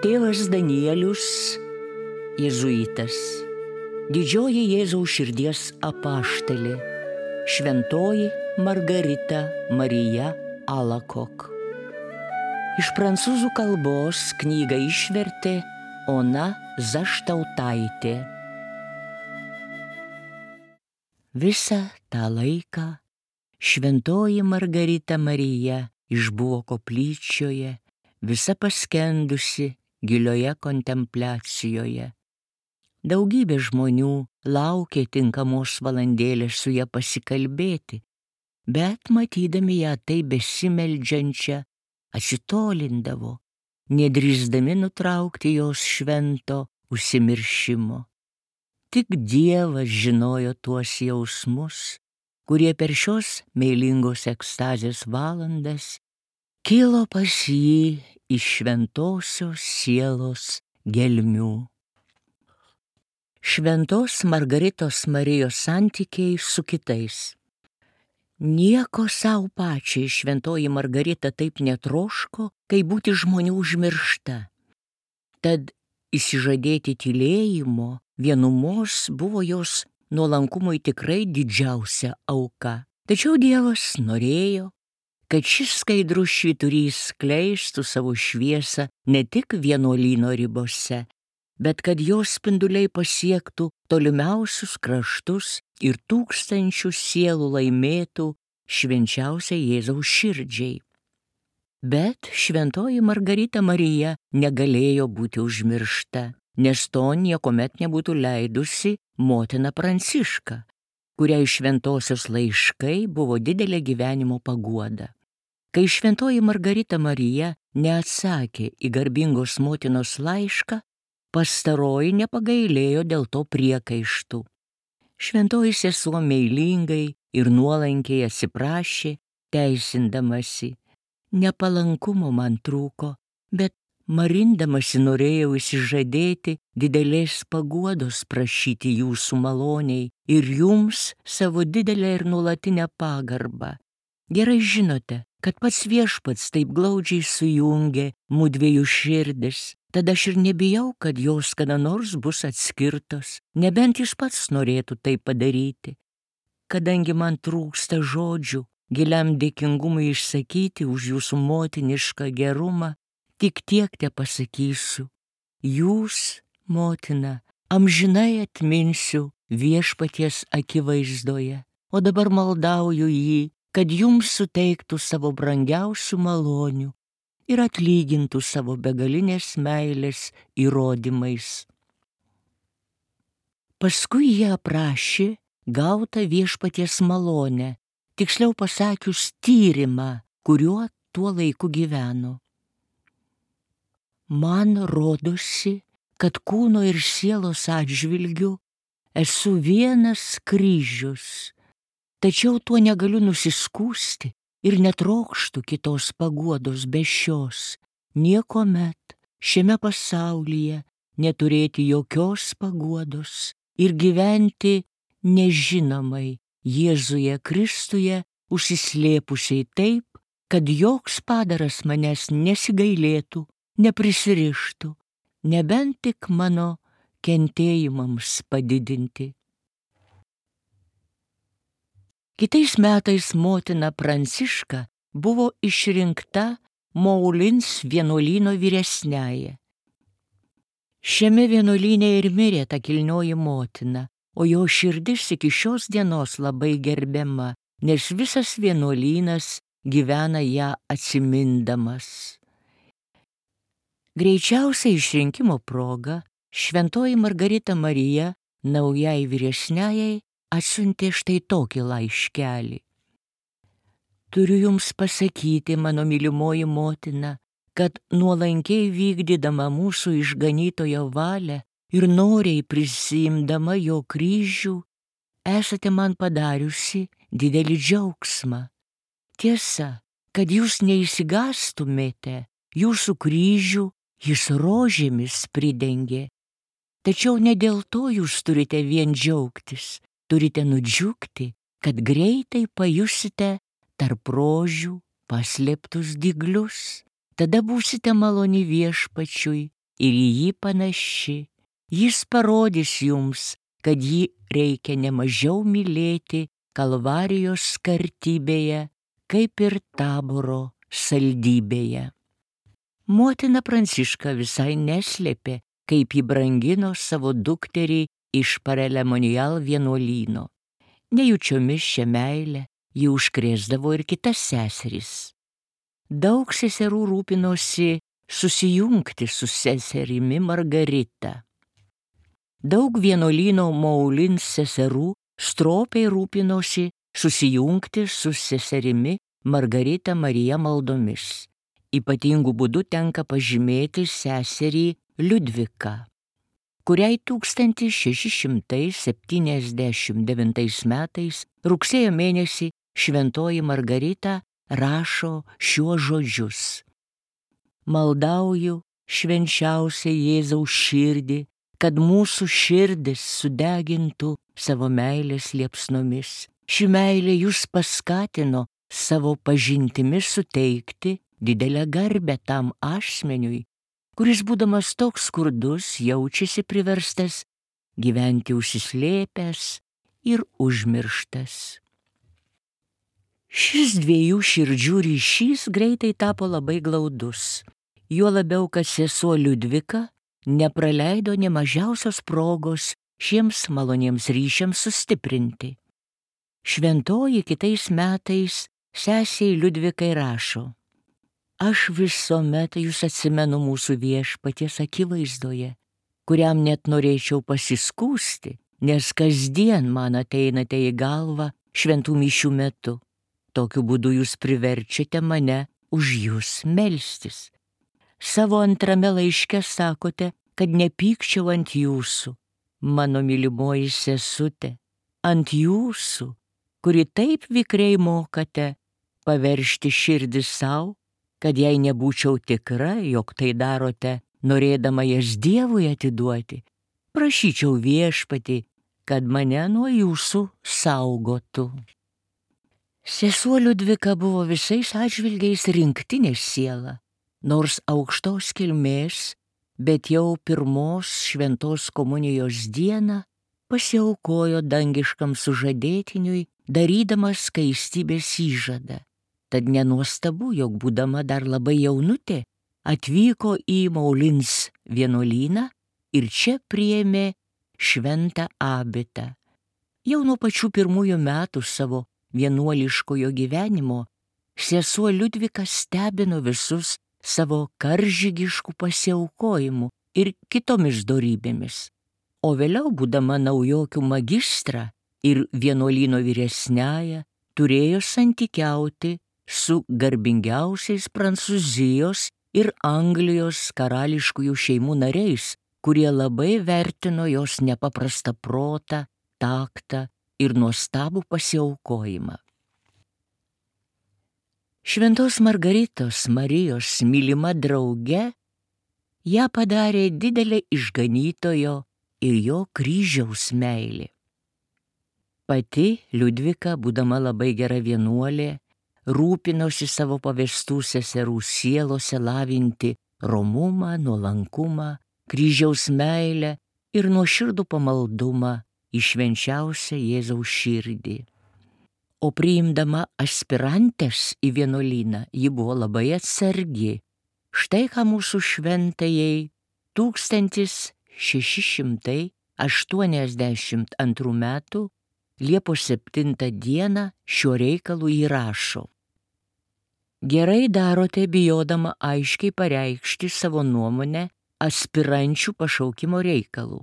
Tėvas Danielius, jėzuitas, didžioji Jėzaus širdies apaštalė, šventoji Margarita Marija Alacoque. Iš prancūzų kalbos knygą išvertė Ona Zaštautaitė. Visą tą laiką šventoji Margarita Marija išbuvo koplyčioje, visa paskendusi gilioje kontempliacijoje. Daugybė žmonių laukė tinkamos valandėlės su ja pasikalbėti, bet matydami ją taip besimeldžiančią, atsitolindavo, nedrįsdami nutraukti jos švento užsimiršimo. Tik Dievas žinojo tuos jausmus, kurie per šios meilingos ekstazės valandas kilo pas jį iš šventosios sielos gelmių. Šventos Margaritos Marijos santykiai su kitais. Nieko sau pačiai šventoji Margarita taip netroško, kaip būti žmonių užmiršta. Tad išsižadėti tylėjimo, vienumos buvo jos nuolankumui tikrai didžiausia auka. Tačiau Dievas norėjo, kad šis skaidrus švyturys skleistų savo šviesą ne tik vienuolyno ribose, bet kad jos spinduliai pasiektų tolimiausius kraštus ir tūkstančių sielų laimėtų švenčiausiai Jėzaus širdžiai. Bet šventoji Margarita Marija negalėjo būti užmiršta, nes to niekuomet nebūtų leidusi motina Pranciška, kuriai šventosios laiškai buvo didelė gyvenimo paguoda. Kai šventoji Margarita Marija neatsakė į garbingos motinos laišką, pastaroji nepagailėjo dėl to priekaištų. Šventoji sesuo meilingai ir nuolankiai atsiprašė, teisindamasi: nepalankumo man trūko, bet marindamasi norėjau išsižadėti didelės paguodos prašyti jūsų maloniai ir jums savo didelę ir nuolatinę pagarbą. Gerai žinote, kad pats Viešpats taip glaudžiai sujungė mudviejų širdis, tad aš ir nebijau, kad jos kada nors bus atskirtos, nebent jis pats norėtų tai padaryti. Kadangi man trūksta žodžių giliam dėkingumui išsakyti už jūsų motinišką gerumą, tik tiek tepasakysiu: jūs, motina, amžinai atminsiu Viešpaties akivaizdoje, o dabar maldauju jį, kad jums suteiktų savo brangiausių malonių ir atlygintų savo begalinės meilės įrodymais. Paskui jie aprašė gautą Viešpaties malonę, tiksliau pasakius tyrimą, kuriuo tuo laiku gyveno. Man rodosi, kad kūno ir sielos atžvilgiu esu vienas kryžius, tačiau tuo negaliu nusiskųsti ir netrokštu kitos paguodos be šios, niekuomet šiame pasaulyje neturėti jokios paguodos ir gyventi nežinomai Jėzuje Kristuje, užsislėpusiai taip, kad joks padaras manęs nesigailėtų, neprisirištų, nebent tik mano kentėjimams padidinti. Kitais metais motina Pranciška buvo išrinkta Moulins vienuolyno vyresniąja. Šiame vienuolyne ir mirė ta kilnioji motina, o jo širdis iki šios dienos labai gerbiama, nes visas vienuolynas gyvena ją atsimindamas. Greičiausiai išrinkimo proga šventoji Margarita Marija naujai vyresniajai atsiuntė štai tokį laiškelį. Turiu jums pasakyti, mano mylimoji motina, kad nuolankiai vykdydama mūsų išganytojo valią ir noriai prisiimdama jo kryžių, esate man padariusi didelį džiaugsmą. Tiesa, kad jūs neišsigąstumėte, jūsų kryžių jis rožėmis pridengė. Tačiau ne dėl to jūs turite vien džiaugtis, turite nudžiugti, kad greitai pajusite tarp rožių paslėptus dyglius. Tada būsite maloni Viešpačiui ir į jį panaši. Jis parodys jums, kad jį reikia nemažiau mylėti Kalvarijos skartybėje, kaip ir Taboro saldybėje. Motina Pranciška visai neslėpė, kaip ji brangino savo dukterį iš Parelemonial vienuolyno. Nejučiomis šią meilę ji užkrėsdavo ir kitas seseris. Daug seserų rūpinosi susijungti su seserimi Margarita. Daug vienuolyno Moulins seserų stropiai rūpinosi susijungti su seserimi Margarita Marija maldomis. Ypatingų būdų tenka pažymėti seserį Liudviką, kuriai 1679 metais rugsėjo mėnesį šventoji Margarita rašo šiuos žodžius: Maldauju švenčiausią Jėzaus širdį, kad mūsų širdis sudegintų savo meilės liepsnomis. Ši meilė jūs paskatino savo pažintimi suteikti didelę garbę tam asmeniui, kuris būdamas toks skurdus jaučiasi priverstas gyventi užsislėpęs ir užmirštas. Šis dviejų širdžių ryšys greitai tapo labai glaudus, juo labiau, kad sesuo Liudvika nepraleido nė mažiausios progos šiems maloniems ryšiams sustiprinti. Šventoji kitais metais sesei Liudvikai rašo: Aš visuomet jūs atsimenu mūsų Viešpaties akivaizdoje, kuriam net norėčiau pasiskųsti, nes kasdien man ateinate į galvą šventų mišių metu. Tokiu būdu jūs priverčiate mane už jūs melstis. Savo antrame laiške sakote, kad nepykčiau ant jūsų, mano mylimoji sesute, ant jūsų, kuri taip vikriai mokate paveržti širdį savo, kad jei nebūčiau tikra, jog tai darote, norėdama jas Dievui atiduoti, prašyčiau Viešpatį, kad mane nuo jūsų saugotų. Sesuo Liudvika buvo visais atžvilgiais rinktinės siela, nors aukštos kilmės, bet jau pirmos šventos komunijos dieną pasiaukojo dangiškam sužadėtiniui, darydamas skaistybės įžadą. Tad nenuostabu, jog būdama dar labai jaunutė, atvyko į Moulins vienuolyną ir čia priėmė šventą abitą. Jau nuo pačių pirmųjų metų savo vienuoliškojo gyvenimo sesuo Liudvika stebino visus savo karžygiškų pasiaukojimų ir kitomis dorybėmis. O vėliau, būdama naujokių magistrą ir vienuolyno vyresniąja, turėjo santykiauti su garbingiausiais Prancūzijos ir Anglijos karališkųjų šeimų nariais, kurie labai vertino jos nepaprastą protą, taktą ir nuostabų pasiaukojimą. Šventos Margaritos Marijos mylima drauge ją padarė didelė išganytojo ir jo kryžiaus meilė. Pati Liudvika, būdama labai gera vienuolė, rūpinosi savo pavestų seserų sielose lavinti romumą, nuolankumą, kryžiaus meilę ir nuoširdų pamaldumą į švenčiausią Jėzaus širdį. O priimdama aspirantės į vienuolyną, ji buvo labai atsargi. Štai ką mūsų šventajai 1682 metų Liepos 7 dieną šiuo reikalu įrašo: Gerai darote bijodama aiškiai pareikšti savo nuomonę aspirančių pašaukimo reikalų,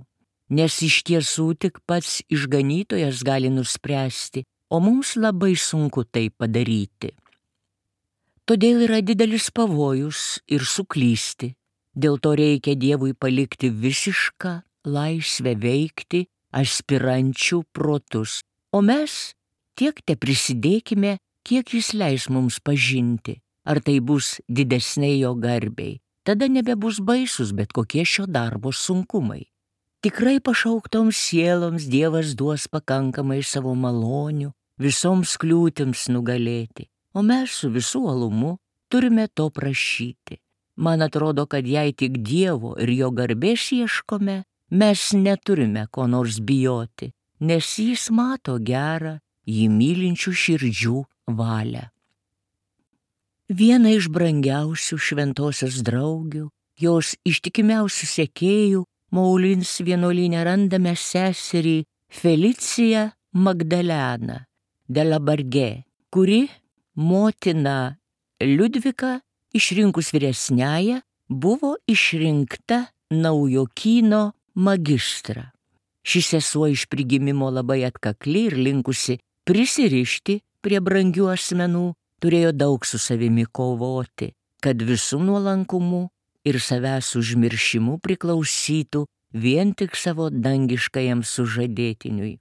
nes iš tiesų tik pats išganytojas gali nuspręsti, o mums labai sunku tai padaryti. Todėl yra didelis pavojus ir suklysti, dėl to reikia Dievui palikti visišką laisvę veikti aspirančių protus, o mes tiek te prisidėkime, kiek jis leis mums pažinti, ar tai bus didesniai jo garbei. Tada nebebus baisus bet kokie šio darbo sunkumai. Tikrai pašauktoms sieloms Dievas duos pakankamai savo malonių visoms kliūtims nugalėti, o mes su visų uolumu turime to prašyti. Man atrodo, kad jei tik Dievo ir jo garbės ieškome, mes neturime ko nors bijoti, nes jis mato gerą, jį mylinčių širdžių valią. Viena iš brangiausių šventosios draugių, jos ištikimiausių sekėjų, Moulins vienuolyne randame seserį Feliciją Magdaleną de la Barge, kuri motina Liudvika, išrinkus vyresniąją, buvo išrinkta naujokyno magistrą. Ši sesuo iš prigimimo labai atkakli ir linkusi prisirišti prie brangių asmenų, turėjo daug su savimi kovoti, kad visų nuolankumu ir savęs užmiršimu priklausytų vien tik savo dangiškajam sužadėtiniui.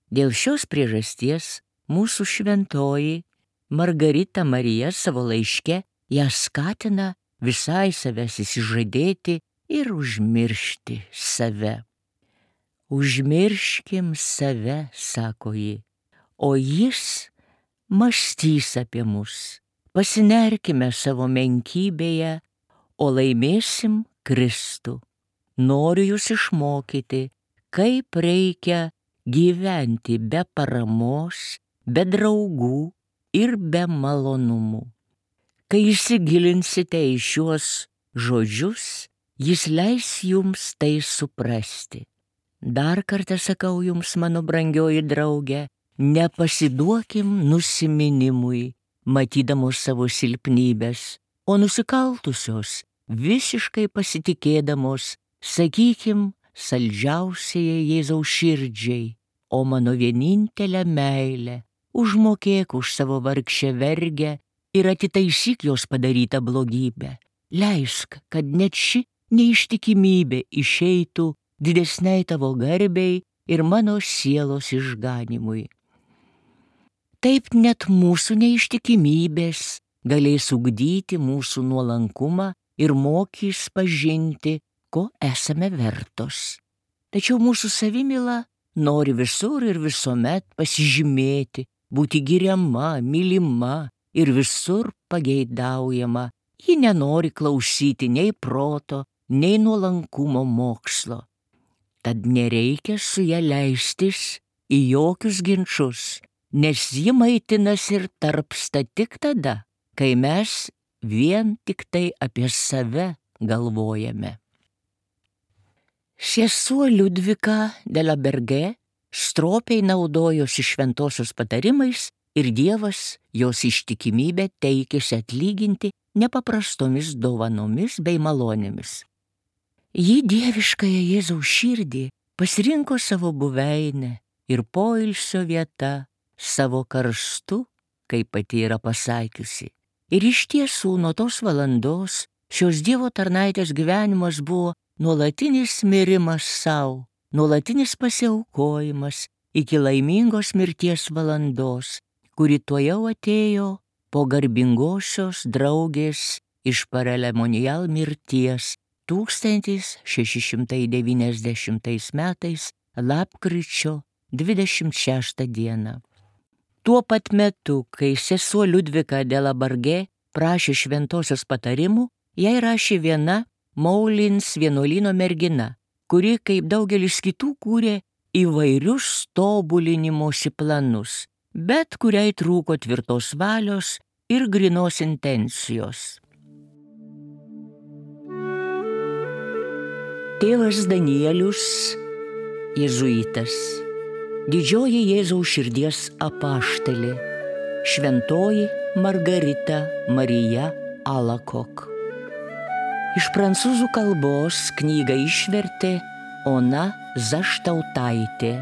Dėl šios priežasties mūsų šventoji Margarita Marija savo laiške ją skatina visai savęs įsižadėti ir užmiršti save. Užmirškim save, sako ji, o jis mąstys apie mus. Pasinerkime savo menkybėje, o laimėsim Kristų. Noriu jūs išmokyti, kaip reikia gyventi be paramos, be draugų ir be malonumų. Kai įsigilinsite į šiuos žodžius, jis leis jums tai suprasti. Dar kartą sakau jums, mano brangioji draugė, nepasiduokim nusiminimui, matydamos savo silpnybės, o nusikaltusios, visiškai pasitikėdamos, sakykim, saldžiausiai Jėzaus širdžiai, o mano vienintelę meilę, užmokėk už savo vargšę vergę ir atitaisyk jos padarytą blogybę. Leisk, kad net ši neištikimybė išeitų didesniai tavo garbei ir mano sielos išganimui. Taip net mūsų neištikimybės galės ugdyti mūsų nuolankumą ir mokys pažinti, ko esame vertos. Tačiau mūsų savimyla nori visur ir visuomet pasižymėti, būti giriama, mylima ir visur pageidaujama. Ji nenori klausyti nei proto, nei nuolankumo mokslo. Tad nereikia su ja leistis į jokius ginčus, nes ji maitinasi ir tarpsta tik tada, kai mes vien tik tai apie save galvojame. Sesuo Liudvika de la Barge stropiai naudojosi šventosios patarimais ir Dievas jos ištikimybę teikėsi atlyginti nepaprastomis dovanomis bei malonėmis. Ji dieviškąją Jėzaus širdį pasirinko savo buveinę ir poilsio vieta savo karstu, kaip pati yra pasakiusi. Ir iš tiesų nuo tos valandos šios Dievo tarnaitės gyvenimas buvo nuolatinis mirimas sau, nuolatinis pasiaukojimas iki laimingos mirties valandos, kuri tuojau atėjo po garbingosios draugės iš Paralemonial mirties 1690 metais lapkričio 26 dieną. Tuo pat metu, kai sesuo Liudvika de la Barge prašė šventosios patarimų, jai rašė viena Moulins vienuolyno mergina, kuri, kaip daugelis kitų, kūrė įvairius tobulinimosi planus, bet kuriai trūko tvirtos valios ir grynos intencijos. Tėvas Danielius, jėzuitas, didžioji Jėzaus širdies apaštalė, šventoji Margarita Marija Alacoque. Iš prancūzų kalbos knygą išvertė Ona Zaštautaitė.